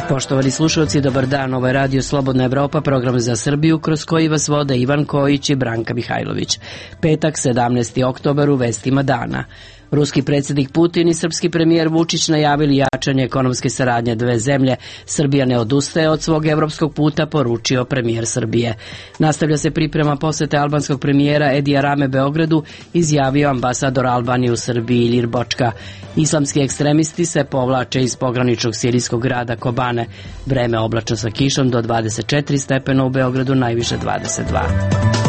Poštovani slušalci, dobar dan. Ovo je Radio Slobodna Evropa, program za Srbiju, kroz koji vas vode Ivan Kojić i Branka Mihajlović. Petak, 17. oktobar, u vestima dana. Ruski predsjednik Putin i srpski premijer Vučić najavili jačanje ekonomske saradnje dve zemlje. Srbija ne odustaje od svog evropskog puta, poručio premijer Srbije. Nastavlja se priprema posete albanskog premijera Edija Rame Beogradu, izjavio ambasador Albanije u Srbiji Ilir Bočka. Islamski ekstremisti se povlače iz pograničnog sirijskog grada Kobane. Vreme oblačno sa kišom do 24 stepena u Beogradu, najviše 22.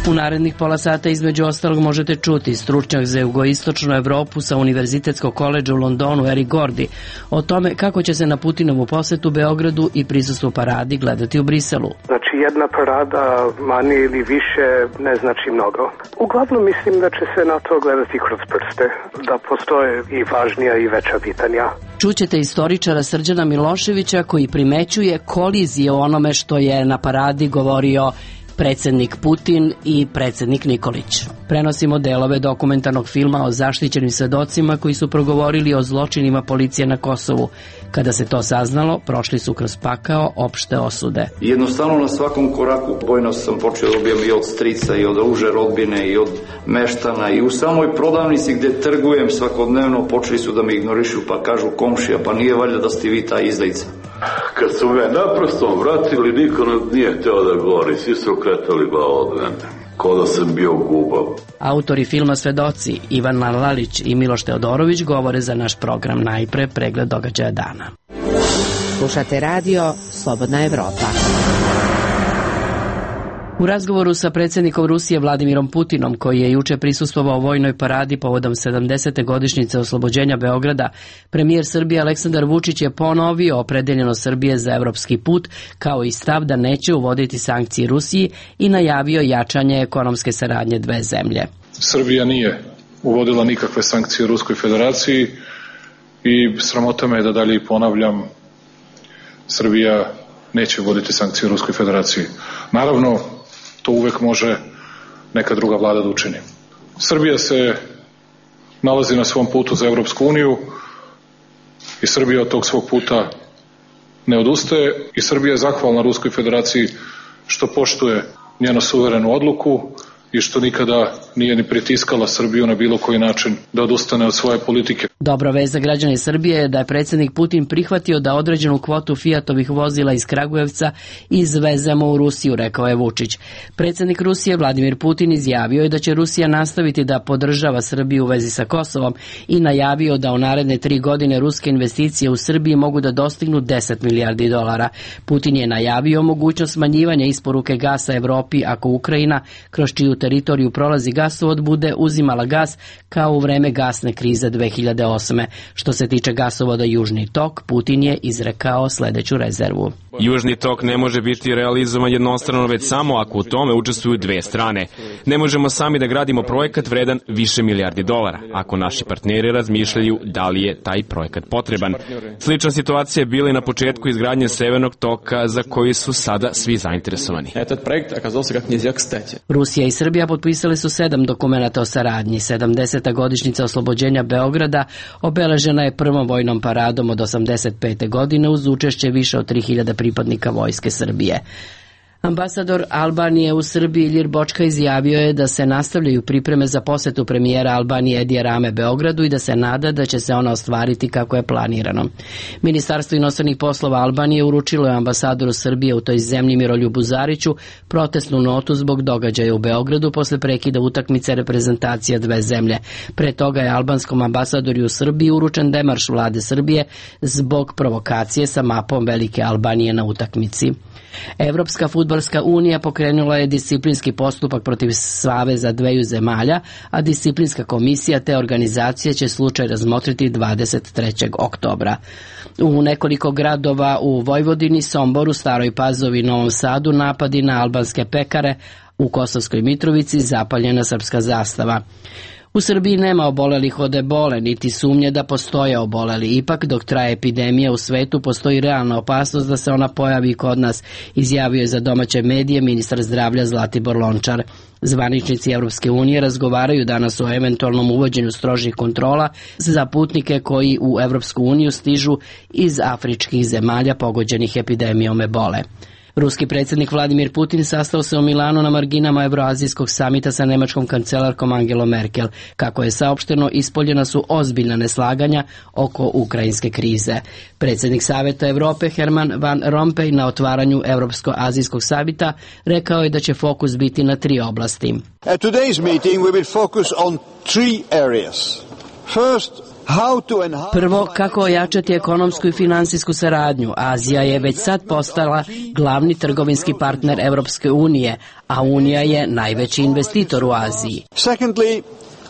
U narednih pola sata između ostalog možete čuti stručnjak za jugoistočnu Evropu sa Univerzitetskog koledža u Londonu Eric Gordy o tome kako će se na Putinovu posetu Beogradu i prisustvu paradi gledati u Briselu. Znači jedna parada manje ili više ne znači mnogo. Uglavnom mislim da će se na to gledati kroz prste, da postoje i važnija i veća pitanja. Čućete istoričara Srđana Miloševića koji primećuje kolizije o onome što je na paradi govorio predsjednik Putin i predsjednik Nikolić. Prenosimo delove dokumentarnog filma o zaštićenim svedocima koji su progovorili o zločinima policije na Kosovu. Kada se to saznalo, prošli su kroz pakao opšte osude. Jednostavno na svakom koraku bojno sam počeo da dobijem i od strica i od uže rodbine i od meštana i u samoj prodavnici gdje trgujem svakodnevno počeli su da me ignorišu pa kažu komšija pa nije valjda da ste vi ta izdajica. Kad su me naprosto vratili, niko nije hteo da govori, svi su okretali glavu od mene, kao da sam bio gubav. Autori filma Svedoci, Ivan Lalić i Miloš Teodorović, govore za naš program. Najpre pregled događaja dana. Slušate radio Slobodna Evropa. U razgovoru sa predsjednikom Rusije Vladimirom Putinom, koji je juče prisustvovao vojnoj paradi povodom 70. godišnjice oslobođenja Beograda, premijer Srbije Aleksandar Vučić je ponovio opredeljenost Srbije za evropski put, kao i stav da neće uvoditi sankcije Rusiji i najavio jačanje ekonomske saradnje dve zemlje. Srbija nije uvodila nikakve sankcije Ruskoj federaciji i sramota me je da dalje ponavljam, Srbija neće uvoditi sankcije Ruskoj federaciji. Naravno, to uvek može neka druga vlada da učini. Srbija se nalazi na svom putu za Evropsku uniju i Srbija od tog svog puta ne odustaje i Srbija je zahvalna Ruskoj federaciji što poštuje njenu suverenu odluku i što nikada nije ni pritiskala Srbiju na bilo koji način da odustane od svoje politike. Dobra vest za građane Srbije je da je predsjednik Putin prihvatio da određenu kvotu Fiatovih vozila iz Kragujevca izvezemo u Rusiju, rekao je Vučić. Predsjednik Rusije Vladimir Putin izjavio je da će Rusija nastaviti da podržava Srbiju u vezi sa Kosovom i najavio da u naredne 3 godine ruske investicije u Srbiji mogu da dostignu 10 milijardi dolara. Putin je najavio mogućnost smanjivanja isporuke gasa Evropi ako Ukrajina, kroz čiju teritoriju prolazi gasovod, bude uzimala gas kao u vreme gasne krize 2008. Što se tiče gasovoda Južni tok, Putin je izrekao sljedeću rezervu. Južni tok ne može biti realizovan jednostrano, već samo ako u tome učestvuju dve strane. Ne možemo sami da gradimo projekat vredan više milijardi dolara, ako naši partneri razmišljaju da li je taj projekat potreban. Slična situacija je bila i na početku izgradnje Severnog toka, za koji su sada svi zainteresovani. Rusija i Srbija potpisali su 7 dokumenata o saradnji. 70. godišnjica oslobođenja Beograda obeležena je prvom vojnom paradom od 85. godine uz učešće više od 3000 pripadnika vojske Srbije. Ambasador Albanije u Srbiji Ilir Bočka izjavio je da se nastavljaju pripreme za posetu premijera Albanije Edija Rame Beogradu i da se nada da će se ona ostvariti kako je planirano. Ministarstvo inostranih poslova Albanije uručilo je ambasadoru Srbije u toj zemlji Miroljubu Zariću protestnu notu zbog događaja u Beogradu posle prekida utakmice reprezentacija dve zemlje. Pre toga je albanskom ambasadoru u Srbiji uručen demarš vlade Srbije zbog provokacije sa mapom Velike Albanije na utakmici. Evropska fudbalska unija pokrenula je disciplinski postupak protiv saveza dveju zemalja, a disciplinska komisija te organizacije će slučaj razmotriti 23. oktobra. U nekoliko gradova u Vojvodini, Somboru, Staroj Pazovi i Novom Sadu napadi na albanske pekare, u Kosovskoj Mitrovici zapaljena srpska zastava. U Srbiji nema obolelih od ebole, niti sumnje da postoje oboleli. Ipak, dok traje epidemija u svetu, postoji realna opasnost da se ona pojavi kod nas, izjavio je za domaće medije ministar zdravlja Zlatibor Lončar. Zvaničnici Evropske unije razgovaraju danas o eventualnom uvođenju strožih kontrola za putnike koji u Evropsku uniju stižu iz afričkih zemalja pogođenih epidemijom ebole. Ruski predsjednik Vladimir Putin sastao se u Milanu na marginama Evroazijskog samita sa nemačkom kancelarkom Angelom Merkel. Kako je saopšteno, ispoljena su ozbiljna neslaganja oko ukrajinske krize. Predsjednik Saveta Evrope Herman Van Rompuy na otvaranju Evropsko-azijskog samita rekao je da će fokus biti na 3 oblasti. At today's meeting we will focus on 3 areas. First, prvo, kako ojačati ekonomsku i finansijsku saradnju. Azija je već sad postala glavni trgovinski partner Evropske unije, a Unija je najveći investitor u Aziji. Secondly,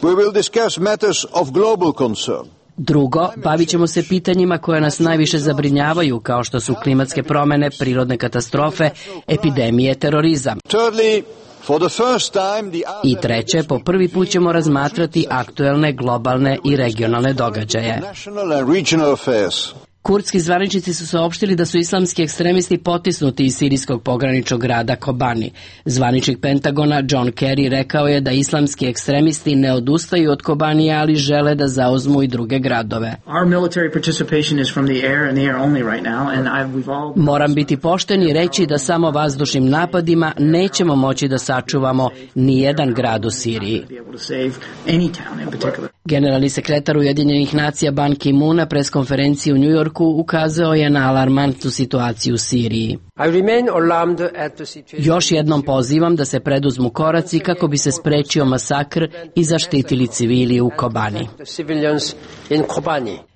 we will discuss matters of global concern. Drugo, bavit ćemo se pitanjima koje nas najviše zabrinjavaju, kao što su klimatske promjene, prirodne katastrofe, epidemije, terorizam. Thirdly, i treće, po prvi put ćemo razmatrati aktuelne, globalne i regionalne događaje. Kurdski zvaničnici su saopštili da su islamski ekstremisti potisnuti iz sirijskog pograničnog grada Kobani. Zvaničnik Pentagona John Kerry rekao je da islamski ekstremisti ne odustaju od Kobanija, ali žele da zauzmu i druge gradove. Moram biti pošten i reći da samo vazdušnim napadima nećemo moći da sačuvamo ni jedan grad u Siriji. Generalni sekretar Ujedinjenih nacija Ban Ki-moon na preskonferenciji u New Yorku ukazao je na alarmantnu situaciju u Siriji. Još jednom pozivam da se preduzmu koraci kako bi se sprečio masakr i zaštitili civili u Kobani.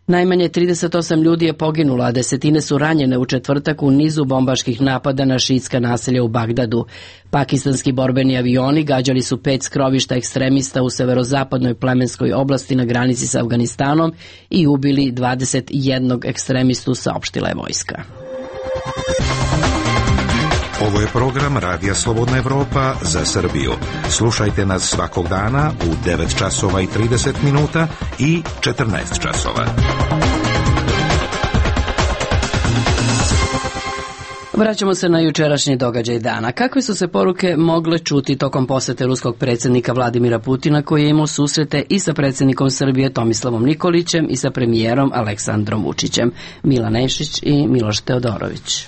Najmanje 38 ljudi je poginulo, a desetine su ranjene u četvrtak u nizu bombaških napada na šiitska naselja u Bagdadu. Pakistanski borbeni avioni gađali su 5 skrovišta ekstremista u severozapadnoj plemenskoj oblasti na granici sa Afganistanom i ubili 21 ekstremistu, saopštila je vojska. Ovo je program Radija Slobodna Evropa za Srbiju. Slušajte nas svakog dana u 9 časova i 30 minuta i 14 časova. Vraćamo se na jučerašnji događaj dana. Kakve su se poruke mogle čuti tokom posete ruskog predsjednika Vladimira Putina, koji je imao susrete i sa predsjednikom Srbije Tomislavom Nikolićem i sa premijerom Aleksandrom Vučićem? Milan Nešić i Miloš Teodorović.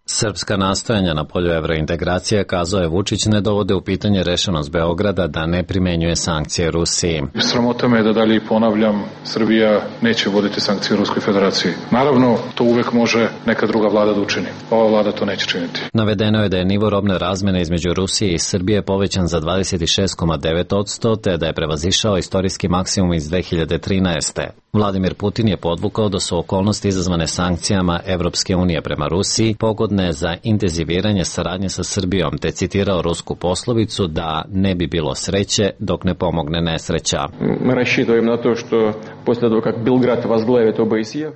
Srpska nastojanja na polju evrointegracije, kazao je Vučić, ne dovode u pitanje rešenost Beograda da ne primenjuje sankcije Rusiji. Sramota me je da dalje ponavljam, Srbija neće voditi sankcije Ruskoj federaciji. Naravno, to uvek može neka druga vlada da učini. Ova vlada to neće činiti. Navedeno je da je nivo robne razmene između Rusije i Srbije povećan za 26,9%, te da je prevazišao istorijski maksimum iz 2013. Vladimir Putin je podvukao da su okolnosti izazvane sankcijama Evropske unije prema Rusiji pogodne za intenziviranje saradnje sa Srbijom, te citirao rusku poslovicu da ne bi bilo sreće dok ne pomogne nesreća.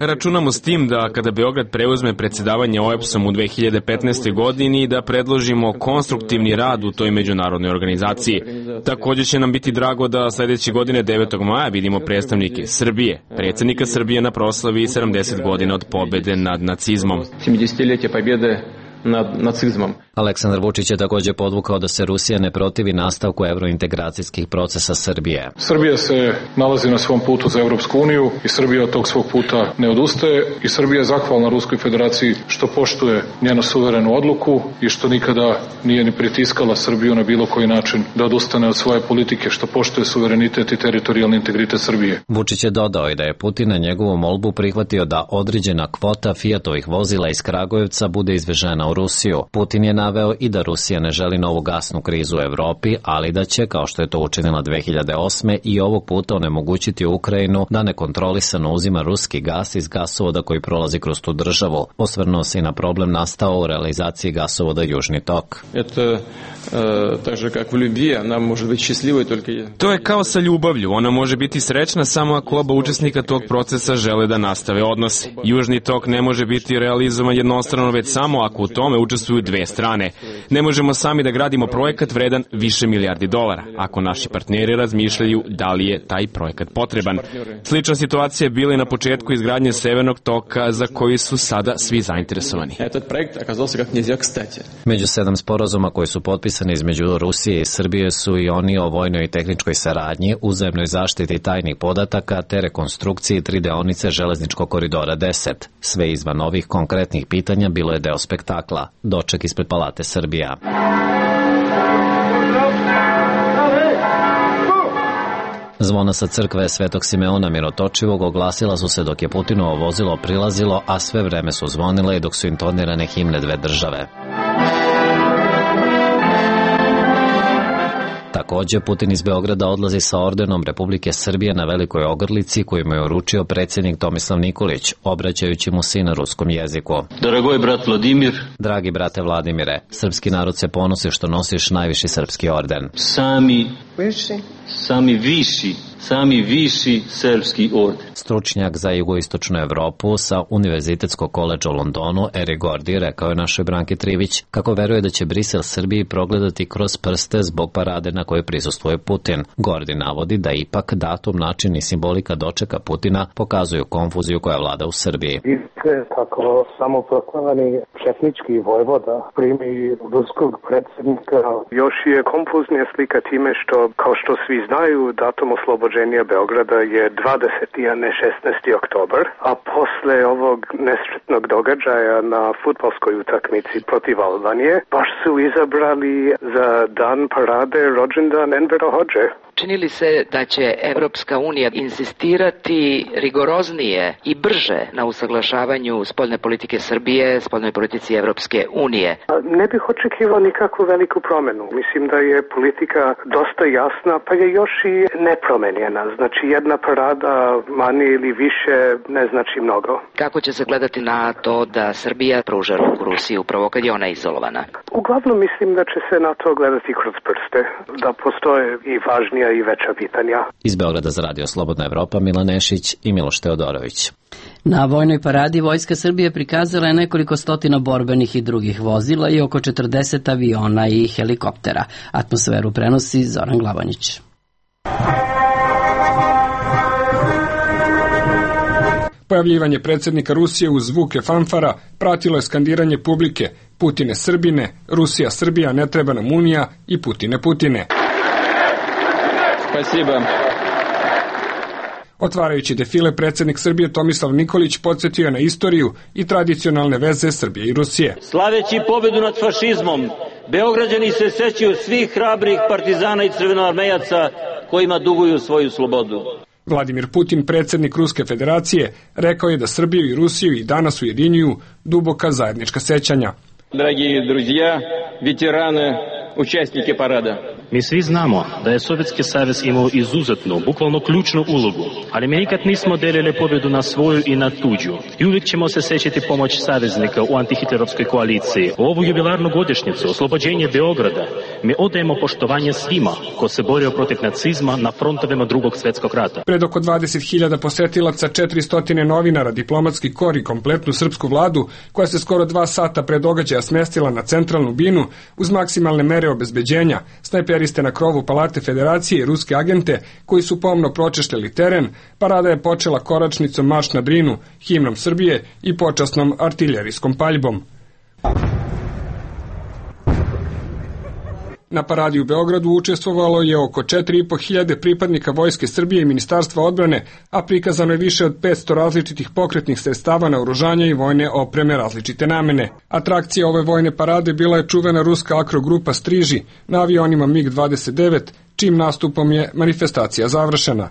Računamo s tim da kada Beograd preuzme predsjedavanje OEBS-om u 2015. godini da predložimo konstruktivni rad u toj međunarodnoj organizaciji. Također će nam biti drago da sljedeće godine 9. maja vidimo predstavnike Srbije, predsjednika Srbije na proslavi 70 godina od pobjede nad nacizmom. Nad nacizmom. Aleksandar Vučić je također podvukao da se Rusija ne protivi nastavku evrointegracijskih procesa Srbije. Srbija se nalazi na svom putu za Evropsku uniju i Srbija od tog svog puta ne odustaje i Srbija je zahvalna Ruskoj federaciji što poštuje njenu suverenu odluku i što nikada nije ni pritiskala Srbiju na bilo koji način da odustane od svoje politike, što poštuje suverenitet i teritorijalni integritet Srbije. Vučić je dodao i da je Putin na njegovu molbu prihvatio da određena kvota Fiatovih vozila iz Kragujevca bude izvežena u Rusiju. Putin je naveo i da Rusija ne želi novu gasnu krizu u Evropi, ali da će, kao što je to učinila 2008. i ovog puta onemogućiti Ukrajinu da nekontrolisano uzima ruski gas iz gasovoda koji prolazi kroz tu državu. Osvrnuo se i na problem nastao u realizaciji gasovoda Južni tok. To je kao sa ljubavlju. Ona može biti srećna samo ako oba učesnika tog procesa žele da nastave odnose. Južni tok ne može biti realizovan jednostrano, već samo ako u tome učestvuju dve strane. Ne možemo sami da gradimo projekat vredan više milijardi dolara, ako naši partneri razmišljaju da li je taj projekat potreban. Slična situacija je bila i na početku izgradnje Severnog toka, za koji su sada svi zainteresovani. Među 7 sporazuma koji su potpisani između Rusije i Srbije su i oni o vojnoj i tehničkoj saradnji, uzajamnoj zaštiti tajnih podataka te rekonstrukciji 3 deonice železničkog koridora 10. Sve izvan ovih konkretnih pitanja bilo je deo spektakla. Doček ispred Palate Srbija. Zvona sa crkve Svetog Simeona Mirotočivog oglasila su se dok je Putinovo vozilo prilazilo, a sve vreme su zvonile i dok su intonirane himne dve države. Takođe, Putin iz Beograda odlazi sa ordenom Republike Srbije na Velikoj ogrlici koju mu je uručio predsjednik Tomislav Nikolić, obraćajući mu se na ruskom jeziku. Dragoj brat Vladimir. Dragi brate Vladimire, srpski narod se ponosi što nosiš najviši srpski orden. Sami viši srpski orden. Stručnjak za jugoistočnu Evropu sa Univerzitetskog koledža u Londonu, Eri Gordi, rekao je našoj Branki Trivić kako veruje da će Brisel Srbiji progledati kroz prste zbog parade na kojoj prisustvuje Putin. Gordi navodi da ipak datum, način i simbolika dočeka Putina pokazuju konfuziju koja vlada u Srbiji. Vidite kako samoproklamani četnički vojvoda primi ruskog predsjednika. Još je konfuznija slika time što, kao što svi znaju, datum oslobođenja Beograda je 20. a ne 16. oktobar, a posle ovog nesretnog događaja na fudbalskoj utakmici protiv Albanije, baš su izabrali za dan parade rođendan Envera Hodže. Čini li se da će Evropska unija insistirati rigoroznije i brže na usaglašavanju spoljne politike Srbije, spoljnoj politici Evropske unije? Ne bih očekivao nikakvu veliku promenu. Mislim da je politika dosta jasna, pa je još i nepromenjena. Znači jedna parada manje ili više ne znači mnogo. Kako će se gledati na to da Srbija pruža ruku Rusiji upravo kad je ona izolovana? Uglavnom mislim da će se na to gledati kroz prste, da postoje i važnija i veća pitanja. Iz Beograda za Radio Slobodna Evropa, Milan Nešić i Miloš Teodorović. Na vojnoj paradi Vojska Srbije prikazala je nekoliko stotina borbenih i drugih vozila i oko 40 aviona i helikoptera. Atmosferu prenosi Zoran Glavanić. Pojavljivanje predsjednika Rusije uz zvuke fanfara pratilo je skandiranje publike Putine Srbine, Rusija Srbija, ne treba nam Unija i Putine Putine. Спасибо. Otvarajući defile, predsjednik Srbije Tomislav Nikolić podsjetio je na istoriju i tradicionalne veze Srbije i Rusije. Slaveći pobedu nad fašizmom, Beograđani se sećaju svih hrabrih partizana i crvenoarmejaca kojima duguju svoju slobodu. Vladimir Putin, predsjednik Ruske federacije, rekao je da Srbiju i Rusiju i danas ujedinjuju duboka zajednička sećanja. Dragi друзья, ветераны, участники парада. Mi svi znamo da je Sovjetski savez imao izuzetnu, bukvalno ključnu ulogu, ali mi nikad nismo delili pobjedu na svoju i na tuđu. I uvijek ćemo se sećati pomoć saveznika u antihitlerovskoj koaliciji. U ovu jubilarnu godišnjicu, oslobođenje Beograda, mi odajemo poštovanje svima ko se borio protiv nacizma na frontovima Drugog svjetskog rata. Pred oko 20.000 posetilaca, 400 novinara, diplomatski kor i kompletnu srpsku vladu, koja se skoro 2 sata pre događaja smestila na centralnu binu uz maksimalne mere obezbeđenja, snajperiste na krovu Palate Federacije i ruske agente koji su pomno pročešljali teren, parada je počela koračnicom Marš na Drinu, himnom Srbije i počasnom artiljerijskom paljbom. Na paradi u Beogradu učestvovalo je oko 4.500 pripadnika Vojske Srbije i Ministarstva odbrane, a prikazano je više od 500 različitih pokretnih sredstava naoružanja i vojne opreme različite namene. Atrakcija ove vojne parade bila je čuvena ruska akrogrupa Striži na avionima MiG-29, čim nastupom je manifestacija završena.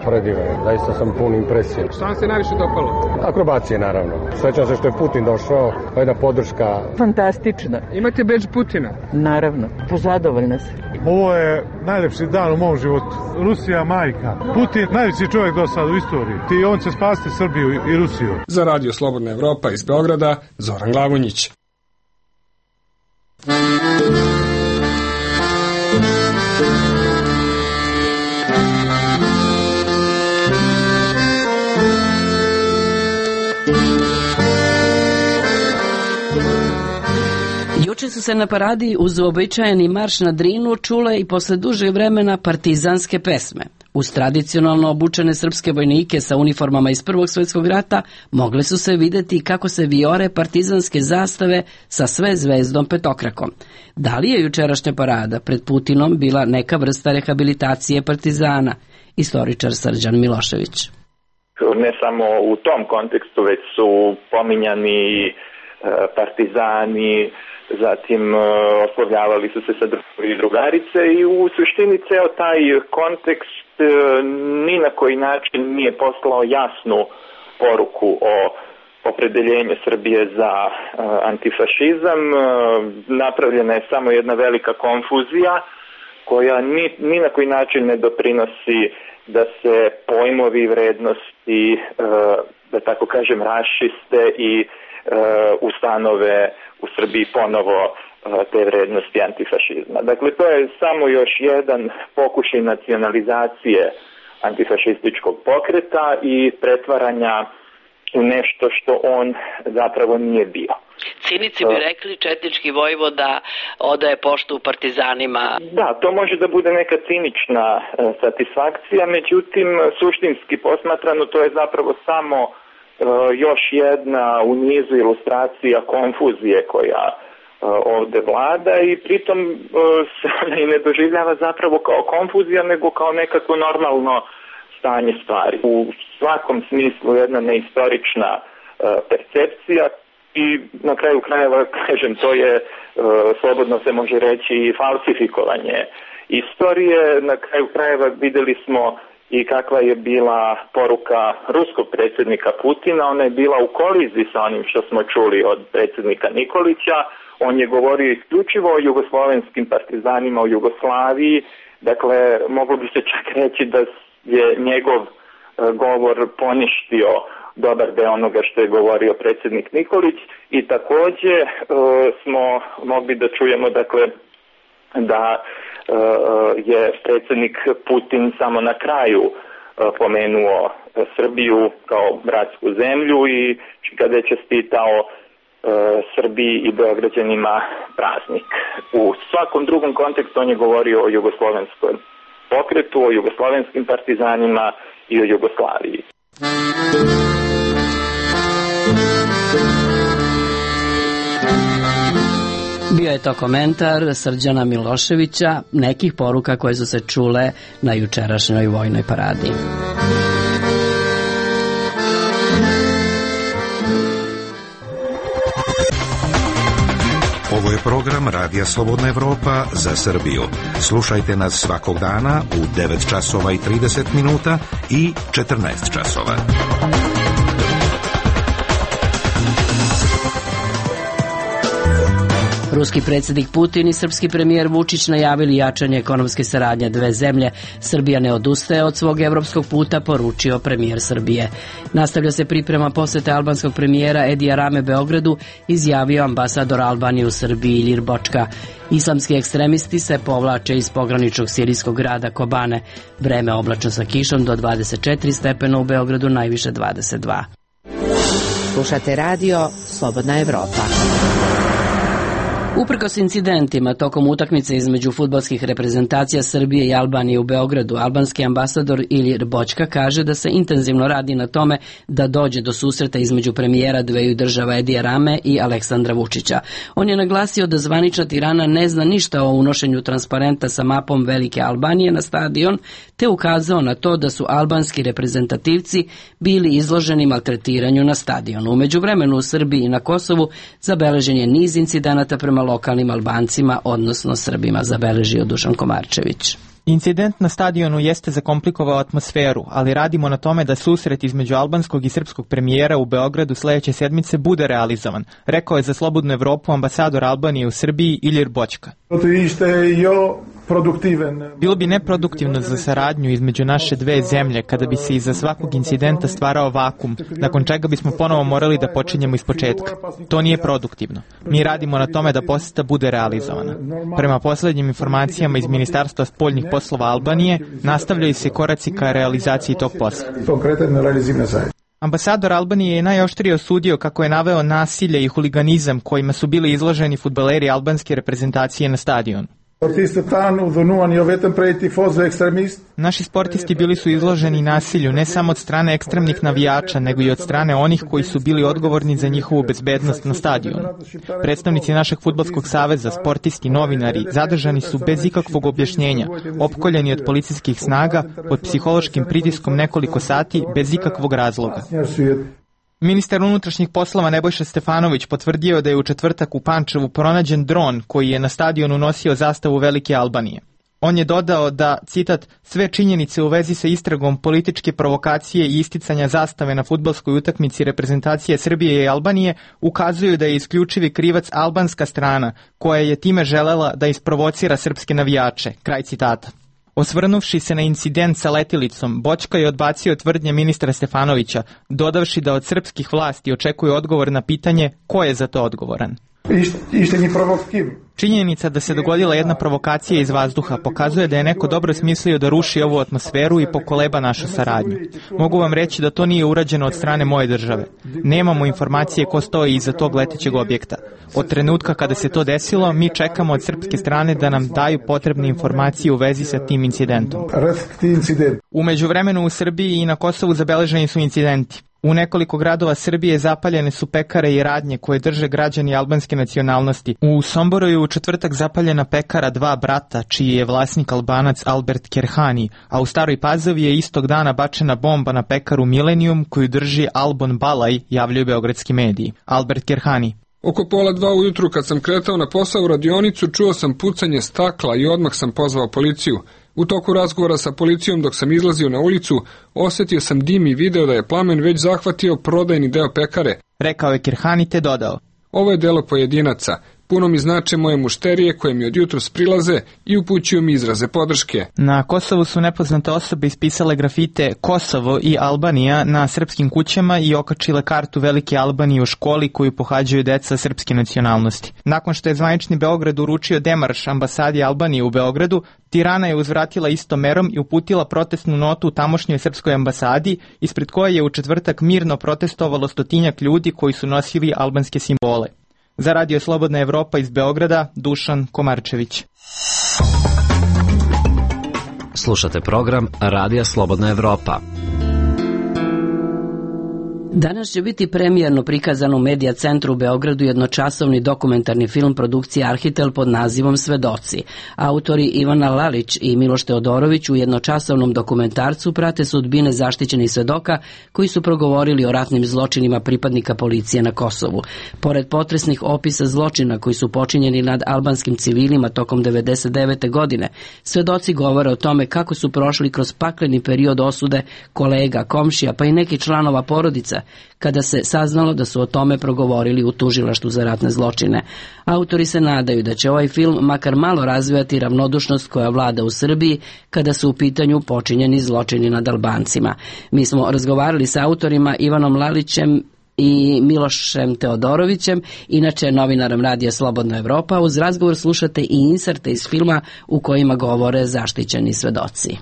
Predivan je, zaista sam pun impresije. Šta vam se najviše dopalo? Akrobacije, naravno. Svećam se što je Putin došao, jedna podrška. Fantastično. Imate bedž Putina? Naravno, pozadovoljna se. Ovo je najlepši dan u mom životu. Rusija majka. Putin najveći čovjek do sada u istoriji. I on će spasiti Srbiju i Rusiju. Za Radio Slobodna Evropa iz Beograda, Zoran Glavonjić. se na paradi uz uobičajeni marš na Drinu čule i posle dužeg vremena partizanske pesme. Uz tradicionalno obučene srpske vojnike sa uniformama iz Prvog svjetskog rata mogle su se videti kako se vijore partizanske zastave sa sve zvezdom petokrakom. Da li je jučerašnja parada pred Putinom bila neka vrsta rehabilitacije partizana? Istoričar Srđan Milošević. Ne samo u tom kontekstu, već su pominjani partizani, zatim oslovljavali su se sa drugovi i drugarice i u suštini ceo taj kontekst ni na koji način nije poslao jasnu poruku o opredeljenju Srbije za antifašizam. Napravljena je samo jedna velika konfuzija koja ni na koji način ne doprinosi da se pojmovi i vrednosti, da tako kažem, raščiste i ustanove u Srbiji ponovo te vrednosti antifašizma. Dakle, to je samo još jedan pokušaj nacionalizacije antifašističkog pokreta i pretvaranja u nešto što on zapravo nije bio. Cinici bi rekli četnički vojvoda odaje poštu partizanima. Da, to može da bude neka cinična satisfakcija, međutim, suštinski posmatrano to je zapravo samo još jedna u nizu ilustracija konfuzije koja ovde vlada i pritom se ona i ne doživljava zapravo kao konfuzija, nego kao nekako normalno stanje stvari. U svakom smislu jedna neistorična percepcija i na kraju krajeva, kažem, to je, slobodno se može reći, i falsifikovanje istorije. Na kraju krajeva videli smo i kakva je bila poruka ruskog predsjednika Putina. Ona je bila u koliziji sa onim što smo čuli od predsjednika Nikolića. On je govorio isključivo o jugoslovenskim partizanima u Jugoslaviji. Dakle, moglo bi se čak reći da je njegov govor poništio dobar deo onoga što je govorio predsjednik Nikolić i također smo mogli da čujemo, dakle, da je predsjednik Putin samo na kraju pomenuo Srbiju kao bratsku zemlju i kada je čestitao Srbiji i Beograđanima praznik. U svakom drugom kontekstu on je govorio o jugoslovenskom pokretu, o jugoslovenskim partizanima i o Jugoslaviji. Bio je to komentar Srđana Miloševića, nekih poruka koje su se čule na jučerašnjoj vojnoj paradi. Ovo je program Radija Slobodna Evropa za Srbiju. Slušajte nas svakog dana u 9 časova i 30 minuta i 14 časova. Ruski predsjednik Putin i srpski premijer Vučić najavili jačanje ekonomske saradnje dve zemlje. Srbija ne odustaje od svog evropskog puta, poručio premijer Srbije. Nastavlja se priprema posete albanskog premijera Edija Rame Beogradu, izjavio ambasador Albanije u Srbiji Ilir Bočka. Islamski ekstremisti se povlače iz pograničnog sirijskog grada Kobane. Vreme oblačno sa kišom do 24 stepena, u Beogradu najviše 22. Slušate radio Slobodna Evropa. Uprkos incidentima tokom utakmice između fudbalskih reprezentacija Srbije i Albanije u Beogradu, albanski ambasador Ilir Bočka kaže da se intenzivno radi na tome da dođe do susreta između premijera dveju država Edija Rame i Aleksandra Vučića. On je naglasio da zvanična Tirana ne zna ništa o unošenju transparenta sa mapom Velike Albanije na stadion, te ukazao na to da su albanski reprezentativci bili izloženi maltretiranju na stadionu. U međuvremenu u Srbiji i na Kosovu zabeležen je niz incidenata prema lokalnim Albancima, odnosno Srbima, zabeležio Dušan Komarčević. Incident na stadionu jeste zakomplikovao atmosferu, ali radimo na tome da susret između albanskog i srpskog premijera u Beogradu sledeće sedmice bude realizovan, rekao je za Slobodnu Evropu ambasador Albanije u Srbiji Ilir Bočka. Bilo bi neproduktivno za saradnju između naše dve zemlje kada bi se iza svakog incidenta stvarao vakum, nakon čega bismo ponovo morali da počinjemo ispočetka. To nije produktivno. Mi radimo na tome da poseta bude realizovana. Prema poslednjim informacijama iz Ministarstva spoljnih poslova Albanije, nastavljaju se koraci ka realizaciji tog posla. Ambasador Albanije je najoštrije osudio kako je naveo nasilje i huliganizam kojima su bili izloženi fudbaleri albanske reprezentacije na stadionu. Naši sportisti bili su izloženi nasilju ne samo od strane ekstremnih navijača, nego i od strane onih koji su bili odgovorni za njihovu bezbednost na stadionu. Predstavnici našeg fudbalskog saveza, sportisti, novinari, zadržani su bez ikakvog objašnjenja, opkoljeni od policijskih snaga, pod psihološkim pritiskom nekoliko sati, bez ikakvog razloga. Ministar unutrašnjih poslova Nebojša Stefanović potvrdio da je u četvrtak u Pančevu pronađen dron koji je na stadionu nosio zastavu Velike Albanije. On je dodao da, citat, sve činjenice u vezi sa istragom političke provokacije i isticanja zastave na fudbalskoj utakmici reprezentacije Srbije i Albanije ukazuju da je isključivi krivac albanska strana, koja je time želela da isprovocira srpske navijače. Kraj citata. Osvrnuvši se na incident sa letilicom, Boćka je odbacio tvrdnje ministra Stefanovića, dodavši da od srpskih vlasti očekuje odgovor na pitanje ko je za to odgovoran. Činjenica da se dogodila jedna provokacija iz vazduha pokazuje da je neko dobro smislio da ruši ovu atmosferu i pokoleba našu saradnju. Mogu vam reći da to nije urađeno od strane moje države. Nemamo informacije ko stoji iza tog letećeg objekta. Od trenutka kada se to desilo, mi čekamo od srpske strane da nam daju potrebne informacije u vezi sa tim incidentom. U međuvremenu u Srbiji i na Kosovu zabeleženi su incidenti. U nekoliko gradova Srbije zapaljene su pekare i radnje koje drže građani albanske nacionalnosti. U Somboru je u četvrtak zapaljena pekara Dva brata, čiji je vlasnik Albanac Albert Kerhani, a u Staroj Pazovi je istog dana bačena bomba na pekaru Millennium koju drži Albon Balaj, javljaju beogradski mediji. Albert Kerhani. Oko 1:30 ujutru kad sam kretao na posao u radionicu, čuo sam pucanje stakla i odmah sam pozvao policiju. U toku razgovora sa policijom dok sam izlazio na ulicu, osjetio sam dim i video da je plamen već zahvatio prodajni deo pekare. Rekao je Kerhani te dodao. Ovo je delo pojedinaca. Puno mi znače moje mušterije koje mi od jutros prilaze i upućuju mi izraze podrške. Na Kosovu su nepoznate osobe ispisale grafite Kosovo i Albanija na srpskim kućama i okačile kartu Velike Albanije u školi koju pohađaju deca srpske nacionalnosti. Nakon što je zvanični Beograd uručio demarš ambasadi Albanije u Beogradu, Tirana je uzvratila istom merom i uputila protestnu notu tamošnjoj srpskoj ambasadi, ispred koje je u četvrtak mirno protestovalo 100-tinjak ljudi koji su nosili albanske simbole. Za Radio Slobodna Evropa iz Beograda, Dušan Komarčević. Slušate program Radija Slobodna Evropa. Danas će biti premijerno prikazan u Medija centru u Beogradu jednočasovni dokumentarni film produkcije Arhitel pod nazivom Svedoci. Autori Ivana Lalić i Miloš Teodorović u jednočasovnom dokumentarcu prate sudbine zaštićenih svedoka koji su progovorili o ratnim zločinima pripadnika policije na Kosovu. Pored potresnih opisa zločina koji su počinjeni nad albanskim civilima tokom 1999. godine, svedoci govore o tome kako su prošli kroz pakleni period osude kolega, komšija pa i nekih članova porodica, kada se saznalo da su o tome progovorili u tužilaštvu za ratne zločine. Autori se nadaju da će ovaj film makar malo razvijati ravnodušnost koja vlada u Srbiji kada su u pitanju počinjeni zločini nad Albancima. Mi smo razgovarali sa autorima Ivanom Lalićem i Milošem Teodorovićem, inače novinarom Radija Slobodna Evropa. Uz razgovor slušate i inserte iz filma u kojima govore zaštićeni svedoci.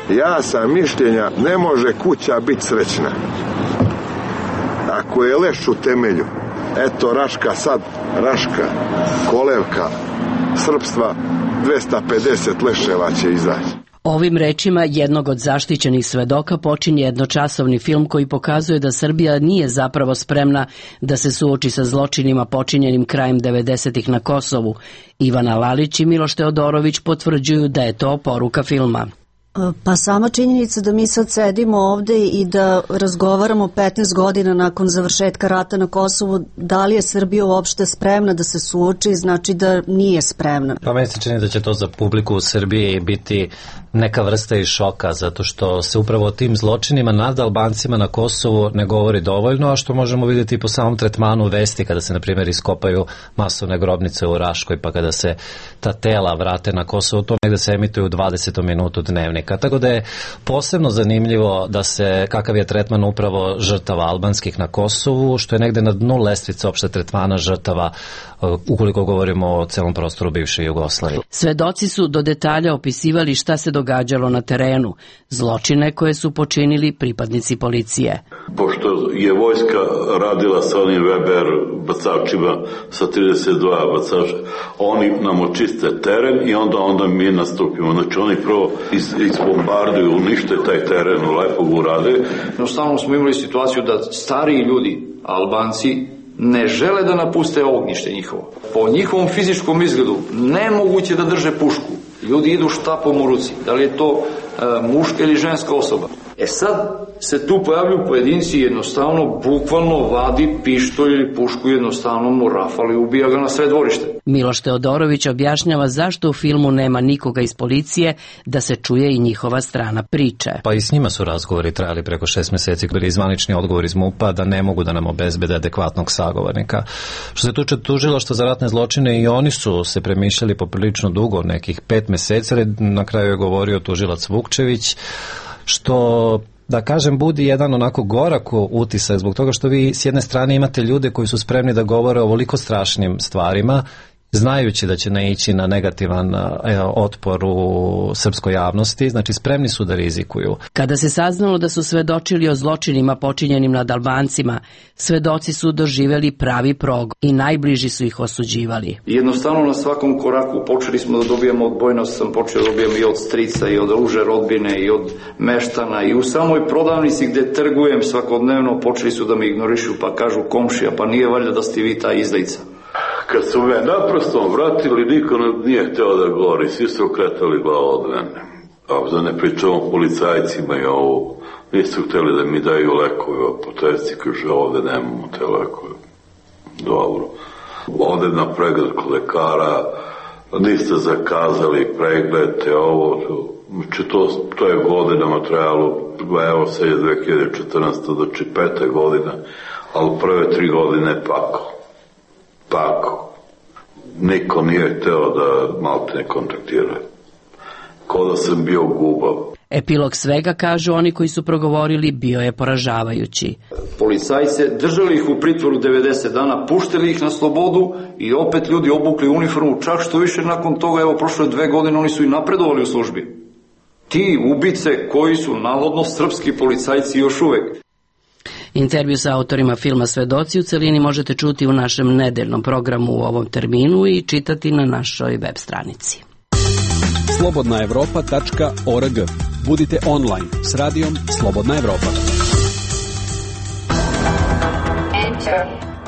Ja sam mišljenja, ne može kuća biti srećna ako je leš u temelju. Eto Raška sad, Raška, kolevka srpstva, 250 leševa će izaći. Ovim rečima jednog od zaštićenih svedoka počinje jednočasovni film koji pokazuje da Srbija nije zapravo spremna da se suoči sa zločinima počinjenim krajem 90-ih na Kosovu. Ivana Lalić i Miloš Teodorović potvrđuju da je to poruka filma. Pa sama činjenica da mi sad sedimo ovde i da razgovaramo 15 godina nakon završetka rata na Kosovu, da li je Srbija uopšte spremna da se suoči, znači da nije spremna. Pa meni se čini da će to za publiku u Srbiji biti neka vrsta i šoka, zato što se upravo o tim zločinima nad Albancima na Kosovu ne govori dovoljno, a što možemo vidjeti po samom tretmanu vesti kada se, na primjer, iskopaju masovne grobnice u Raškoj, pa kada se ta tela vrate na Kosovo, to negde se emituje u 20. minutu dnevnika. Tako da je posebno zanimljivo da se, kakav je tretman upravo žrtava albanskih na Kosovu, što je negde na dnu lestvice opšte tretmana žrtava ukoliko govorimo o celom prostoru bivše Jugoslavije. Svedoci su do detalja opisivali šta se događalo na terenu, zločine koje su počinili pripadnici policije. Pošto je vojska radila sa onim Weber bacačima, sa 32 bacača, oni nam očiste teren i onda mi nastupimo. Znači oni prvo izbombarduju, unište taj teren, lepo ga urade. Jednostavno smo imali situaciju da stariji ljudi, Albanci, ne žele da napuste ognjište njihovo. Po njihovom fizičkom izgledu nemoguće da drže pušku. Ljudi idu štapom u ruci. Da li je to muška ili ženska osoba? Sad se tu pojavljuju pojedinci, jednostavno, bukvalno vadi pištolj ili pušku, jednostavno mu rafali i ubija ga na sred dvorište. Miloš Teodorović objašnjava zašto u filmu nema nikoga iz policije, da se čuje i njihova strana priče. Pa i s njima su razgovori trajali preko 6 meseci, bili je zvanični odgovor iz MUP-a da ne mogu da nam obezbede adekvatnog sagovornika. Što se tuče tužilaštva za ratne zločine, i oni su se premišljali poprilično dugo, nekih 5 meseci, ali na kraju je govorio tužilac Vukčević, što, da kažem, budi jedan onako gorak utisak, zbog toga što vi s jedne strane imate ljude koji su spremni da govore o ovoliko strašnim stvarima, znajući da će naići na negativan otpor u srpskoj javnosti, znači spremni su da rizikuju. Kada se saznalo da su svedočili o zločinima počinjenim nad Albancima, svedoci su doživeli pravi prog i najbliži su ih osuđivali. Jednostavno na svakom koraku počeli smo da dobijamo od Bojnosa, sam počeo da dobijam i od strica, i od uže rodbine, i od meštana, i u samoj prodavnici gde trgujem svakodnevno počeli su da me ignorišu, pa kažu komšija, pa nije valjda da ste vi ta izdajica. Kad su me naprosto vratili, niko nije hteo da govori, svi su okretali glavu od mene. A da ne pričamo policajcima i ovo, nisu hteli da mi daju lekove, apoteci, kaže ovde nemamo te lekove. Dobro. Ovde na pregled kod lekara, niste zakazali pregled, te ovo, znači to je godinama trajalo, evo se je 2014. znači 5. godina, ali prve 3 godine Tako. Niko nije hteo da malte ne kontaktira. Ko da sam bio gubav. Epilog svega, kažu oni koji su progovorili, bio je poražavajući. Policajce držali ih u pritvoru 90 dana, puštili ih na slobodu i opet ljudi obukli uniformu, čak što više nakon toga, evo prošle 2 godine, oni su i napredovali u službi. Ti ubice koji su navodno srpski policajci još uvek. Intervju sa autorima filma Svedoci u celini možete čuti u našem nedeljnom programu u ovom terminu i čitati na našoj web stranici. slobodnaevropa.org. Budite online s radijom Slobodna Evropa.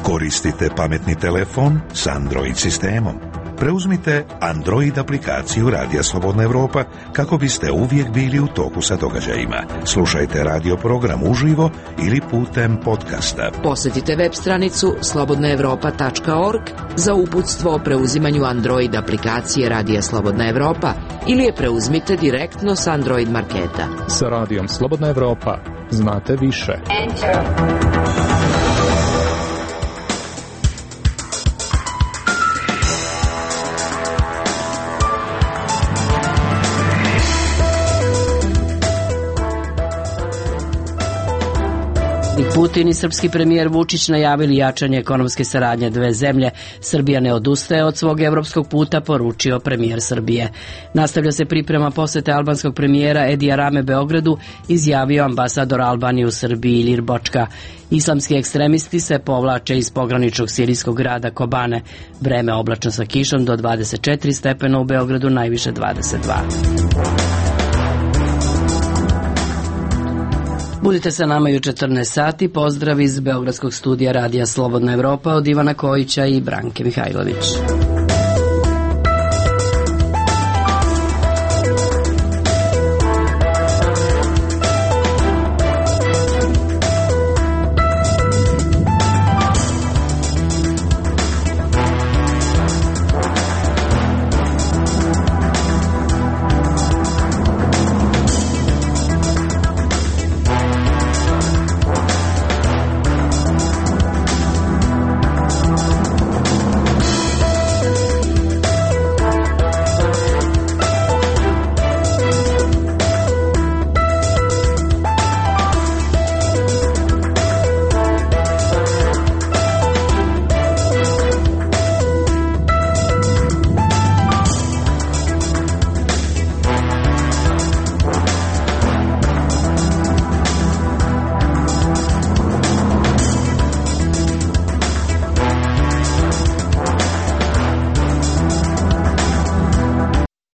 Koristite pametni telefon s Android sistemom. Preuzmite Android aplikaciju Radija Slobodna Evropa kako biste uvijek bili u toku sa događajima. Slušajte radio program uživo ili putem podcasta. Posjetite web stranicu slobodnaevropa.org za uputstvo o preuzimanju Android aplikacije Radija Slobodna Evropa ili je preuzmite direktno s Android marketa. Sa radijom Slobodna Evropa znate više. Putin i srpski premijer Vučić najavili jačanje ekonomske saradnje dve zemlje. Srbija ne odustaje od svog evropskog puta, poručio premijer Srbije. Nastavlja se priprema posete albanskog premijera Edija Rame Beogradu, izjavio ambasador Albanije u Srbiji Ilir Bočka. Islamski ekstremisti se povlače iz pograničnog sirijskog grada Kobane. Vreme oblačno sa kišom do 24 stepena, u Beogradu najviše 22. Budite sa nama i u 14 sati. Pozdrav iz Beogradskog studija Radija Slobodna Evropa od Ivana Kojića i Branke Mihajlović.